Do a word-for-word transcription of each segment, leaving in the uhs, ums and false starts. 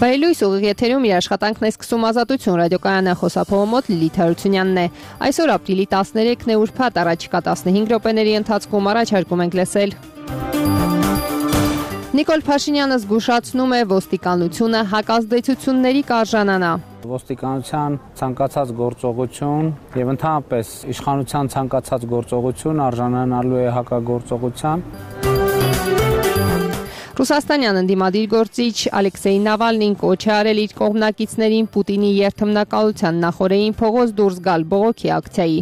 Բարելույս ուղիղ եթերում իր աշխատանքն է սկսում Ազատություն ռադիոկայանը, խոսափողը մոտ Լիլիթ Հարությունյանն է։ Այսօր ապրիլի տասներեքն է, ուրբաթ, առաջիկա տասնհինգ րոպեների ընթացքում առաջարկում ենք լսել. Նիկոլ Փաշինյանը զգուշացնում է, ոստիկանությունը հակազդեցությունների կարժանանա։ Ոստիկանության ցանկացած գործողություն եւ ընդհանրապես իշխանության ցանկացած գործողություն արժանանալու է հակագործողության։ Ռուսաստանյան ընդդիմադիր գործիչ Ալեքսեյ Նավալնին կոչ է արել իր կողմնակիցներին Պուտինի երթմնակալության նախօրեին փողոց դուրս գալ բողոքի ակցիայի։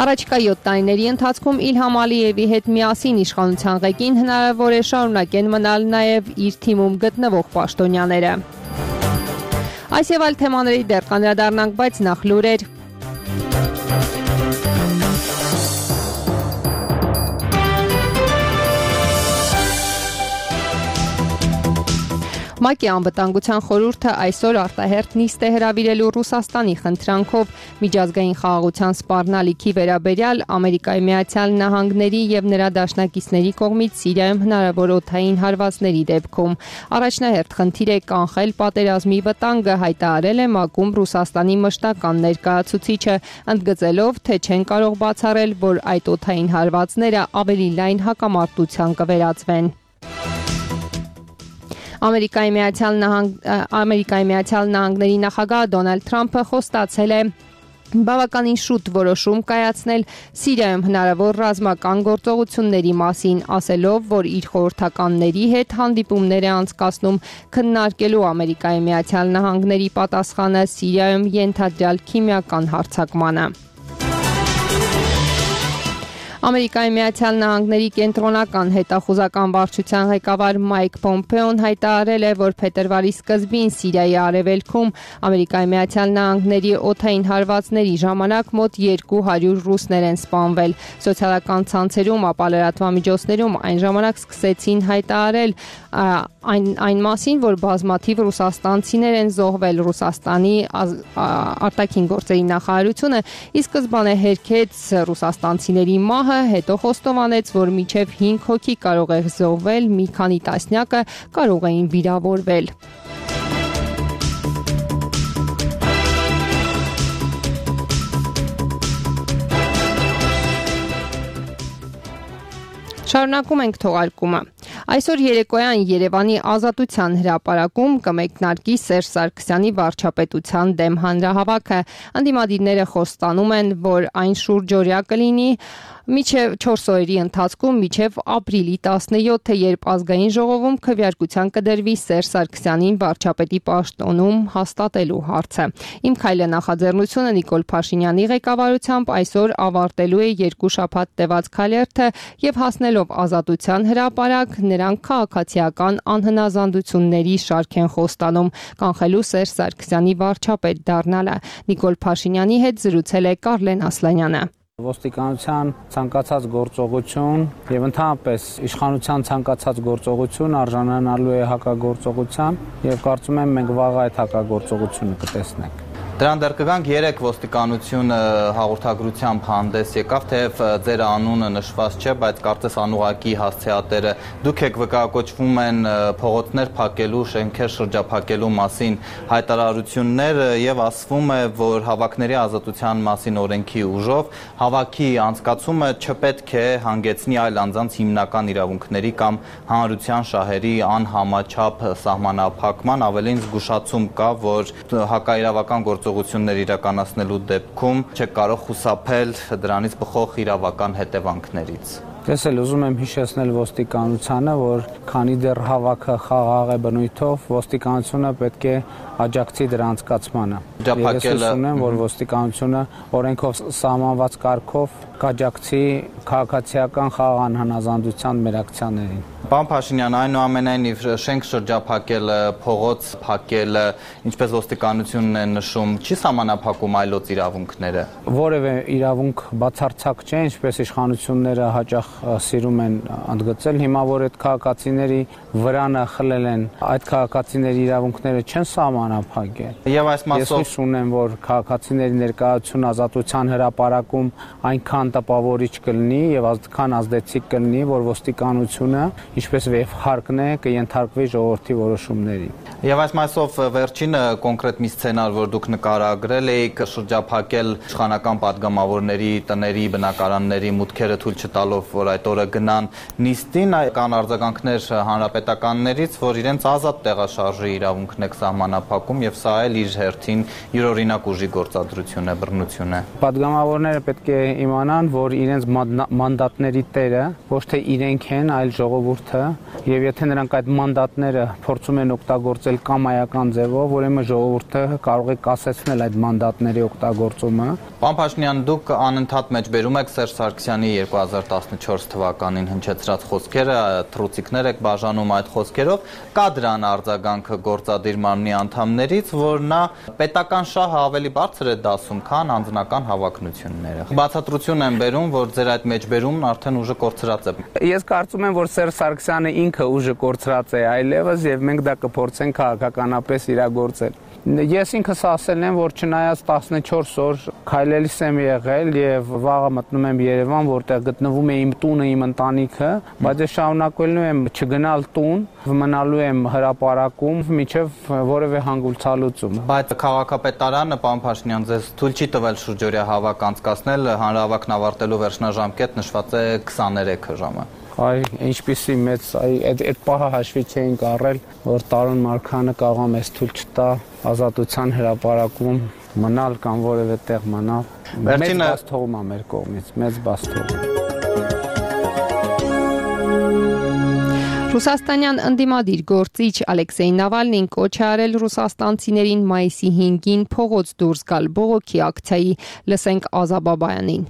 Առաջիկա յոթ տարիների ընթացքում Իլհամ Ալիևի հետ միասին իշխանության ղեկին հնարավոր է շարունակեն մնալ նաև իր թիմում գտնվող պաշտոնյաները։ Այս եւ այլ թեմաների դեռ կանդրադառնանք, բայց նախ լուրեր։ ՄԱԿ-ի անվտանգության խորհուրդը այսօր արտահերթ նիստ է հրավիրելու Ռուսաստանի խնդրանքով միջազգային խաղաղության սպառնալիքի վերաբերյալ Ամերիկայի Միացյալ Նահանգների եւ նրա դաշնակիցների կողմից Սիրիայում հնարավոր օդային հարվածների դեպքում։ Առաջնահերթ խնդիր է կանխել պատերազմի վտանգը, հայտարարել է ՄԱԿ-ում Ռուսաստանի մշտական ներկայացուցիչը, ընդգծելով, թե չեն կարող բացառել, որ այդ օդային հարվածները ավելի լայն հակամարտության կվերածվեն։ Ամերիկայի Միացյալ Նահանգ Ամերիկայի Միացյալ Նահանգների նախագահ Դոնալդ Թրամփը խոստացել է բավականին շուտ որոշում կայացնել Սիրիայում հնարավոր ռազմական գործողությունների մասին, ասելով, որ իր խորհրդականների հետ հանդիպումներ է անցկացնում քննարկելու Ամերիկայի Միացյալ Նահանգների պատասխանը Սիրիայում ենթադրյալ քիմիական հարձակմանը։ Ամերիկայի Միացյալ Նահանգների կենտրոնական հետախուզական վարչության ղեկավար Մայք Պոմպեոն հայտարարել է, որ փետրվարի սկզբին Սիրիայի արևելքում Ամերիկայի Միացյալ Նահանգների օդային հարվածների ժամանակ մոտ երկու հարյուր ռուսներ են սպանվել։ Սոցիալական ցանցերում, ապա լրատվամիջոցներում այն ժամանակ սկսեցին հայտարարել այն այն մասին, որ բազմաթիվ ռուսաստանցիներ են զոհվել։ Ռուսաստանի արտաքին գործերի նախարարությունը ի սկզբանե հերքեց ռուսաստանցիների մահը, հետո խոստովանեց, որ մինչև հինգ հոգի կարող է զոհվել, մի քանի տասնյակը կարող էին վիրավորվել։ Շարունակում ենք թողարկումը։ Այսօր երեկոյան Երևանի Ազատության հրապարակում կմեկնարկի Սերժ Սարգսյանի վարչապետության դեմ հանրահավաքը։ Ընդդիմադիրները խոստանում են, որ այն շուրջօրյա կլինի մինչև չորս օրերի ընթացքում մինչև ապրիլի տասնյոթը, երբ ազգային ժողովում քվեարկության կդրվի Սերժ Սարգսյանին վարչապետի պաշտոնում հաստատելու հարցը։ Իմ քայլը նախաձեռնությունը Նիկոլ Փաշինյանի ղեկավարությամբ այսօր ավարտելու է երկու շաբաթ տևած քայլերթը եւ հասնելով Ազատության հրապարակ, նրանք քաղաքացիական անհնազանդությունների շարք են խոստանում կանխելու Սերժ Սարգսյանի վարչապետ դառնալը։ Նիկոլ Փաշինյանի հետ զրուցել է Կարլեն Ասլանյանը։ Ոստիկանության ցանկացած գործողություն եւ ընդհանրապես իշխանության ցանկացած գործողություն արժանանալու է հակագործողության եւ կարծում եմ մենք վաղ այդ հակագործողությունը կտեսնենք։ Դրան դեռ կգանք երեք ոստիկանությունը հաղորդագրությամբ հանդես եկավ, թեև ձեր անունը նշված չէ, բայց կարծես անուղակի հասցեատերը դուք եք վկայակոչվում են փողոցներ փակելու, շենքեր շրջափակելու մասին հայտարարություններ եւ ասվում է, որ հավաքների ազատության մասին օրենքի ուժով հավաքի անցկացումը չպետք է հանգեցնի այլ անձանց հիմնական իրավունքների կամ հանրության շահերի անհամաչափ սահմանափակման, ավելին զգուշացում կա, որ հակաիրավական գործողություններ իրականացնելու դեպքում չեք կարող խուսափել դրանից բխող իրավական հետևանքներից։ Ես էլ ուզում եմ հիշեցնել ոստիկանությանը, որ քանի դեռ հավաքը խաղաղ է բնույթով, ոստիկանությունը պետք է աջակցի դրա անցկացմանը։ Ես ուզում եմ, որ ոստիկանությունը օրենքով սահմանված կարգով կաջակցի քաղաքացիական խաղաղ անհնազանդության մերակցիաներին։ Պարոն Փաշինյան, այնուամենայնիվ շենք շրջափակելը, փողոց փակելը, ինչպես ոստիկանությունն է նշում, չի սահմանափակում այլոց իրավունքները։ Որևէ իրավունք բացարձակ չէ, ինչպես իշխանությունները հաճախ սիրում են ընդգծել, հիմա որ այդ քաղաքացիների վրանը խլել են, այդ քաղաքացիների իրավունքները չեն սահմանափակել։ Եվ այս մասով ես հույս ունեմ, որ քաղաքացիների ներկայացություն Ազատության հրապարակում այնքան տպավորիչ կլինի եւ այնքան ազդեցիկ կլինի, որ ոստիկանությունը ինչպես եւ հարկն է կընթարկվի ժողովրդի որոշումների։ Եվ այս մասով վերջին կոնկրետ մի սցենար, որ դուք նկարագրել եք, շրջափակել իշխանական падգամավորների տների, բնակարանների մուտքերը թույլ չտալով, որ այդ օրը գնան նիստին, կան արձագանքներ հանրապետականներից, որ իրենց ազատ տեղաշարժի իրավունքն է սահմանափակում եւ սա էլ իր հերթին յուրօրինակ ուժի գործադրություն է, բռնություն է։ Падգամավորները պետք է իմանան, որ իրենց մանդատների տերը ոչ թե իրենք են, այլ ժողովուրդը, եւ եթե նրանք այդ մանդատները փորձում են օգտագործել կամայական ձևով, ուրեմն ժողովուրդը կարող է կասեցնել այդ մանդատների օգտագործումը։ Պարոն Փաշինյան, դուք անընդհատ մեջբերում եք Սերժ Սարգսյանի երկու հազար տասնչորս թվականին հնչեցրած խոսքերը, թռուցիկներ եք բաժանում այդ խոսքերով, կա դրան արձագանքը գործադիր մարմնի անդամներից, որ նա պետական շահը ավելի բարձր է դասում, քան անձնական հավակնությունները։ Բացատրություն եմ բերում, որ ձեր այդ մեջբերումն արդեն ուժը կորցրած է։ Ես կարծում եմ, որ Սերժ Սարգսյանը ինքը ուժը կորցրած է այլևս եւ մենք դա կփորձենք քաղաքականապես իրագործել։ Ես ինքս ասել եմ, որ չնայած տասնչորս օր քայլելիս եմ եղել եւ վաղը մտնում եմ Երևան, որտեղ գտնվում է իմ տունը, իմ ընտանիքը, բայց ես շարունակելու եմ չգնալ տուն, մնալու եմ հրապարակում մինչեւ որևէ հանգուցալուծում։ Բայց քաղաքապետարանը, պարոն Փաշինյան, ձեզ թույլ չի տվել շուրջօրյա հավաք անցկացնել, հանրահավաքն ավարտելու վերջնաժամկետ նշված է քսաներեքը ժամը։ Այ ինչպեսի մեծ այդ այդ պահը հաշվի չէինք առել, որ Տարոն Մարգարյանը կարող է մեզ թույլ չտա ազատության հրապարակում մնալ կամ որևէ տեղ մնալ։ Մեծ բաց թողում է մեր կողմից, մեծ բաց թողում։ Ռուսաստանյան ընդդիմադիր գործիչ Ալեքսեյ Նավալնին կոչ է արել ռուսաստանցիներին մայիսի հինգին փողոց դուրս գալ բողոքի ակցիայի, լսենք Ազա Բաբայանին։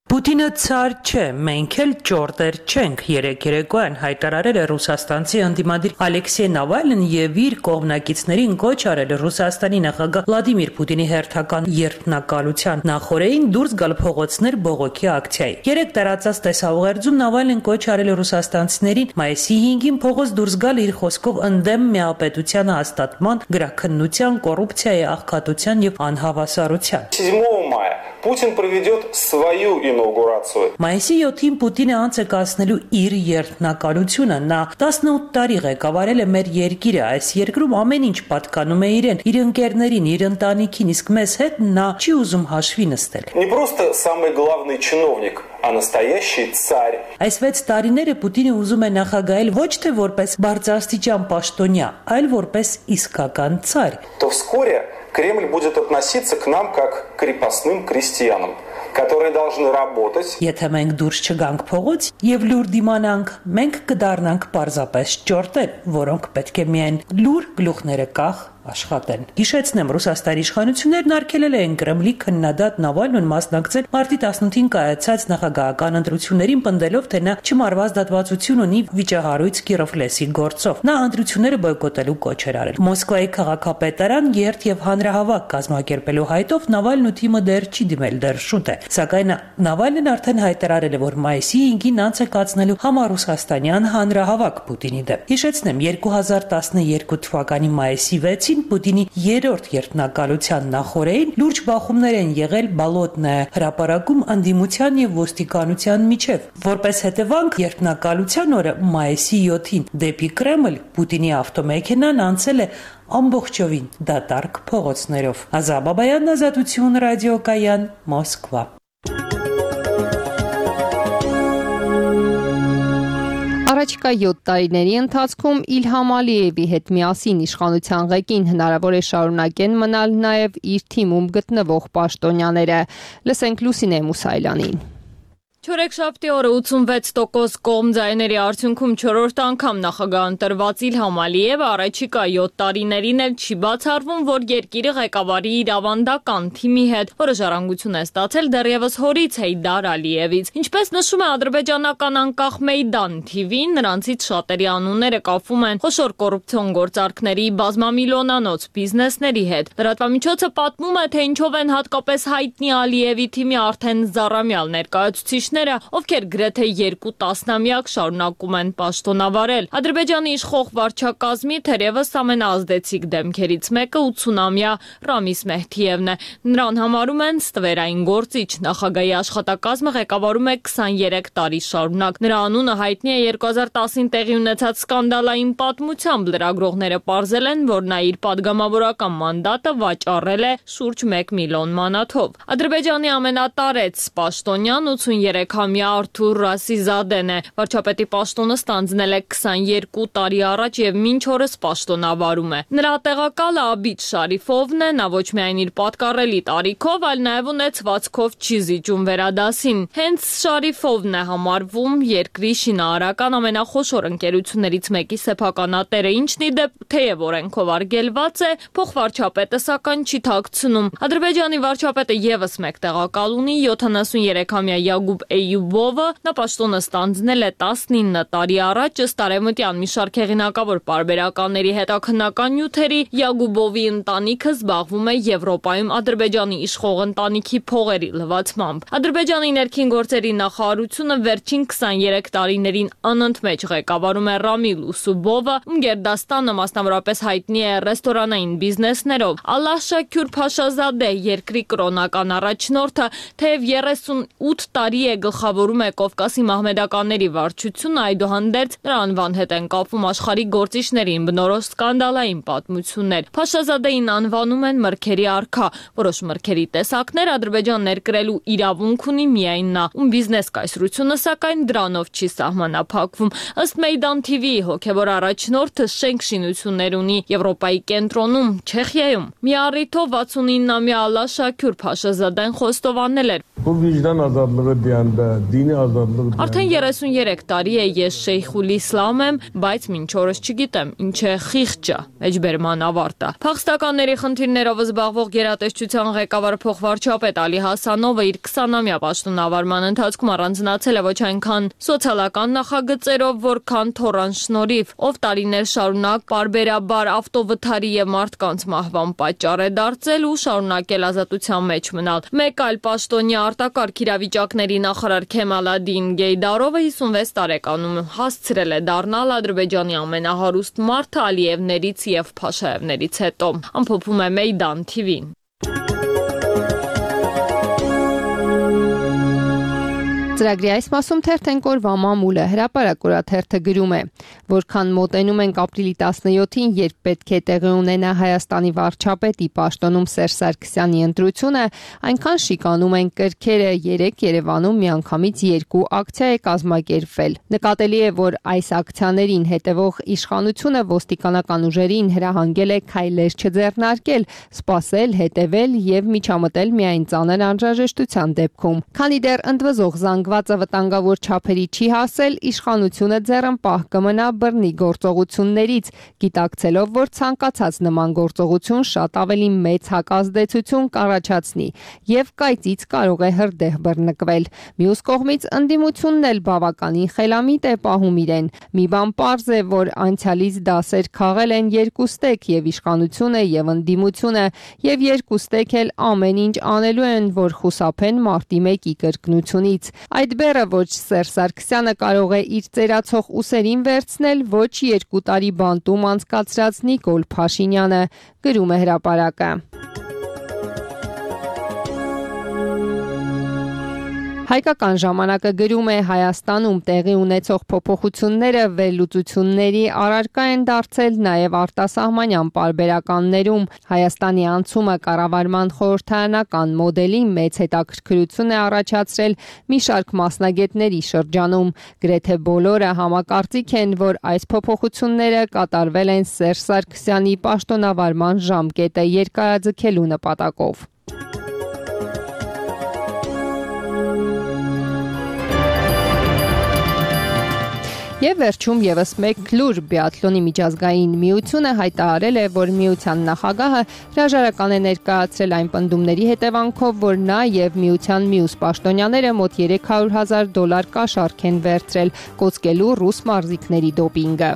Պուտինը ցար չէ, մենք էլ ճորտեր չենք, երեք երեկոյան հայտարարել է ռուսաստանցի ընդդիմադիր Ալեքսեյ Նավալնին եւ իր կողմնակիցներին կոչ արել Ռուսաստանի նախագահ Վլադիմիր Պուտինի հերթական երթնակալության նախօրեին դուրս գալ փողոցներ բողոքի ակցիայի։ Երեք տարածած տեսաուղերձում Նավալնին կոչ արել է ռուսաստանցիներին մայիսի հինգին փողոց դուրս գալ իր խոսքով ընդդեմ միապետության հաստատման, գրաքննության, կոռուպցիայի, աղքատության եւ անհավասարության։ седьмого мая Путин проведет свою ինauгурацию։ Մայիսի յոթին Պուտինը անց է կացնելու իր երթնակալությունը։ Նա տասնութ տարի ղեկավարել է մեր երկիրը, այս երկրում ամեն ինչ պատկանում է իրեն, իր ընկերներին, իր ընտանիքին, իսկ մեզ հետ նա չի ուզում հաշվի նստել։ Не просто самый главный чиновник, а настоящий царь։ Այս վեց տարիները Պուտինը ուզում է նախագահել ոչ թե որպես բարձրաստիճան պաշտոնյա, այլ որպես իսկական царь։ То вскоре Кремль будет относиться к нам как к крепостным крестьянам, которые должны работать։ Եթե մենք դուրս չգանք փողոց եւ լուր դիմանանք, մենք կդառնանք պարզապես ճորտեր, որոնք պետք է միայն լուր գլուխները կախ աշխատեն։ Հիշեցնեմ, Ռուսաստանի իշխանություններն արգելել են Կրեմլի քննադատ Նավալնուն մասնակցել մարտի տասնութին կայացած նախագահական ընտրություններին, պնդելով, թե նա չմարված դատվածություն ունի վիճահարույց Կիրովլեսի գործով։ Նա ընտրությունները բոյկոտելու կոչ էր արել։ Մոսկվայի քաղաքապետարան երթ եւ հանրահավաք կազմակերպելու հայտով Նավալնու թիմը դեռ չի դիմել, դեռ շուտ է։ Սակայն Նավալնին արդեն հայտարարել է, որ մայիսի հինգին անց է կացնելու համառուսաստանյան հանրահավաք Պուտինի դեմ։ Հիշեցնեմ, երկու հազար տասներկու թվականի մայիսի վեցին Պուտինի երրորդ երթնակալության նախօրեին լուրջ բախումներ են եղել Բալոտնայա հրապարակում ընդդիմության եւ ոստիկանության միջև։ Որպես հետևանք երթնակալության օրը մայիսի յոթին դեպի Կրեմլ Պուտինի ավտոմեքենան անցել է ամբողջովին դատարկ փողոցներով։ Ազա Բաբայան, Ազատություն ռադիոկայան, Մոսկվա։ Առաջիկա յոթ տարիների ընթացքում Իլհամ Ալիևի հետ միասին իշխանության ղեկին հնարավոր է շարունակեն մնալ նաև իր թիմում գտնվող պաշտոնյաները։ Լսենք Լուսինե Մուսայելյանին։ Չորեքշաբթի օրը ութսունվեց տոկոս կողմ ձայների արդյունքում չորրորդ անգամ նախագահ ընտրված Իլհամ Ալիևը առաջիկա յոթ տարիներին էլ չի բացառվում, որ երկիրը ղեկավարի իր ավանդական թիմի հետ, որը ժառանգություն է ստացել դեռևս հորից Հեյդար Ալիևից։ Ինչպես նշում է ադրբեջանական անկախ Մեյդան թի վին, նրանցից շատերի անունները կապվում են խոշոր կոռուպցիոն գործարքների, բազմամիլիոնանոց բիզնեսների հետ։ Լրատվամիջոցը պատմում է, թե ինչով են հատկապես հայտնի Ալիևի թիմի արդեն զառամյալ ներկայացուցիչները բնակիչները, ովքեր գրեթե երկու տասնամյակ շարունակում են պաշտոնավարել։ Ադրբեջանի իշխող վարչակազմի թերևս ամենաազդեցիկ դեմքերից մեկը ութսունամյա Ռամիս Մեհդիևն է։ Նրան համարում են ստվերային գործիչ։ Նախագահի աշխատակազմը ղեկավարում է քսաներեք տարի շարունակ։ Նրա անունը հայտնի է երկու հազար տասին տեղի ունեցած սկանդալային պատմությամբ։ Լրագրողները պարզել են, որ նա իր падգամավորական մանդատը վաճառել է շուրջ մեկ միլիոն մանաթով։ Ադրբեջանի ամենատարեց պաշտոնյան ութսուներեքամյա Արթուր Ռասիզադեն է։ Վարչապետի պաշտոնը ստանձնել է քսաներկու տարի առաջ եւ մինչ օրս պաշտոնավարում է։ Նրա տեղակալը Աբիդ Շարիֆովն է, նա ոչ միայն իր պատկառելի տարիքով, այլ նաեւ ունեցվածքով չի զիջում վերադասին։ Հենց Շարիֆովն է համարվում երկրի շինարարական ամենախոշոր ընկերություններից մեկի սեփականատերը, ինչն ի դեպ թեև օրենքով արգելված է, փոխվարչապետը սակայն չի թաքցնում։ Ադրբեջանի վարչապետը եւս մեկ տեղակալ ունի յոթանասուներեքամյա Յագուբ Էյյուբովը, նա պաշտոնը ստանձնել է տասնինը տարի առաջ, ըստ արևմտյան մի շարք հեղինակավոր պարբերականների հետաքննական նյութերի Յագուբովի ընտանիքը զբաղվում է Եվրոպայում Ադրբեջանի իշխող ընտանիքի փողերի լվացմամբ։ Ադրբեջանի ներքին գործերի նախարարությունը վերջին քսաներեք տարիներին անընդմեջ ղեկավարում է Ռամիլ Ուսուբովը, ում գերդաստանը մասնավորապես հայտնի է ռեստորանային բիզնեսներով։ Ալլահ Շաքյուր Փաշազադե, երկրի կրոնական առաջնորդը, թեև երեսունութ տարի է գլխավորում է Կովկասի մահմեդականների վարչությունը, այդուհանդերձ նրա անվան հետ են կապվում աշխարհի գործիչներին բնորոշ սկանդալային պատմություններ։ Փաշազադեին անվանում են մրգերի արքա։ Որոշ մրգերի տեսակներ Ադրբեջան ներկրելու իրավունք ունի միայն նա, ում բիզնես կայսրությունը սակայն դրանով չի սահմանափակվում։ Ըստ Մեյդան թի վիի հոգևոր առաջնորդը շենք շինություններ ունի Եվրոպայի կենտրոնում, Չեխիայում։ Մի առիթով վաթսունինամյա Ալլահ Շաքյուր Փաշազադեն խոստովանել էր. Արդեն երեսուներեք տարի է ես Շեյխուլ Իսլամ եմ, բայց մինչ օրս չգիտեմ ինչ է խիղճը, էջբերման ավարտը։ Փախստականների խնդիրներով զբաղվող գերատեսչության ղեկավար փոխվարչապետ Ալի Հասանովը իր քսանամյա պաշտոնավարման ընթացքում առանձնացել է ոչ այնքան սոցիալական նախագծերով, որքան թոռան շնորհիվ, ով տարիներ շարունակ պարբերաբար ավտովթարի եւ մարդկանց մահվան պատճառ է դարձել ու շարունակել ազատության մեջ մնալ։ Մեկ այլ պաշտոնյա արտակարգ իրավիճակների նախարար Քեմալադին Գեյդարովը հիսունվեց տարեկանում հասցրել է դառնալ Ադրբեջանի ամենահարուստ մարդը Ալիևներից եւ Փաշաևներից հետո։ Ամփոփում է Մեյդան թի վին։ Ծրագրի այս մասում թերթենք օրվա մամուլը հրապարակ օրաթերթը գրում է, որքան մոտենում ենք ապրիլի տասնյոթին, երբ պետք է տեղի ունենա Հայաստանի վարչապետի պաշտոնում Սերժ Սարգսյանի ընտրությունը, այնքան շիկանում են կրքերը։ Երեկ Երևանում միանգամից երկու ակցիա է կազմակերպվել։ Նկատելի է, որ այս ակցիաներին հետևող իշխանությունը ոստիկանական ուժերին հրահանգել է քայլեր չձեռնարկել, սպասել, հետևել եւ միջամտել միայն ծանր անհրաժեշտության դեպքում։ Քանի դեռ ընդվզող զանգվածը վտանգավոր չափերի չի հասել, իշխանությունը ձեռնպահ կմնա բռնի գործողություններից, գիտակցելով, որ ցանկացած նման գործողություն շատ ավելի մեծ հակազդեցություն կառաջացնի եւ կայծից կարող է հրդեհ բռնկվել։ Մյուս կողմից ընդդիմությունն էլ բավականին խելամիտ է պահում իրեն։ Մի բան պարզ է, որ անցյալից դասեր քաղել են երկուստեք եւ իշխանությունը եւ ընդդիմությունը եւ երկուստեք էլ ամեն ինչ անելու են, որ խուսափեն մարտի մեկի կրկնությունից։ Այդ բեռը ոչ Սերժ Սարգսյանը կարող է իր ծերացող ուսերին վերցնել, ոչ երկու տարի բանտում անցկացրած Նիկոլ Փաշինյանը, գրում է հրապարակը։ Հայկական ժամանակը գրում է Հայաստանում տեղի ունեցող փոփոխությունները վերլուծությունների առարկա են դարձել նաև արտասահմանյան պարբերականներում։ Հայաստանի անցումը կառավարման խորհրդարանական մոդելի մեծ հետաքրքրություն է առաջացրել մի շարք մասնագետների շրջանում։ Գրեթե բոլորը համակարծիք են, որ այս փոփոխությունները կատարվել են Սերժ Սարգսյանի պաշտոնավարման ժամկետը երկարաձգելու նպատակով։ Եվ վերջում եւս մեկ լուր բիաթլոնի միջազգային միությունը հայտարարել է, որ միության նախագահը հրաժարական է ներկայացրել այն պնդումների հետևանքով, որ նա եւ միության մյուս պաշտոնյաները մոտ երեք հարյուր հազար դոլար կաշառք են վերցրել կոծկելու ռուս մարզիկների դոպինգը։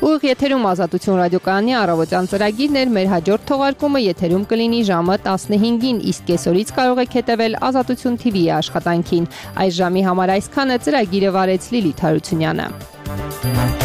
Ուղիղ եթերում Ազատություն ռադիոկայանի առավոտյան ծրագիրն էր, մեր հաջորդ թողարկումը եթերում կլինի ժամը տասնհինգին, իսկ կեսօրից կարող եք հետևել Ազատություն թիվիի աշխատանքին։ Այս ժամի համար այսքանը, ծրագիրը վարեց Լիլիթ Հարությունյանը։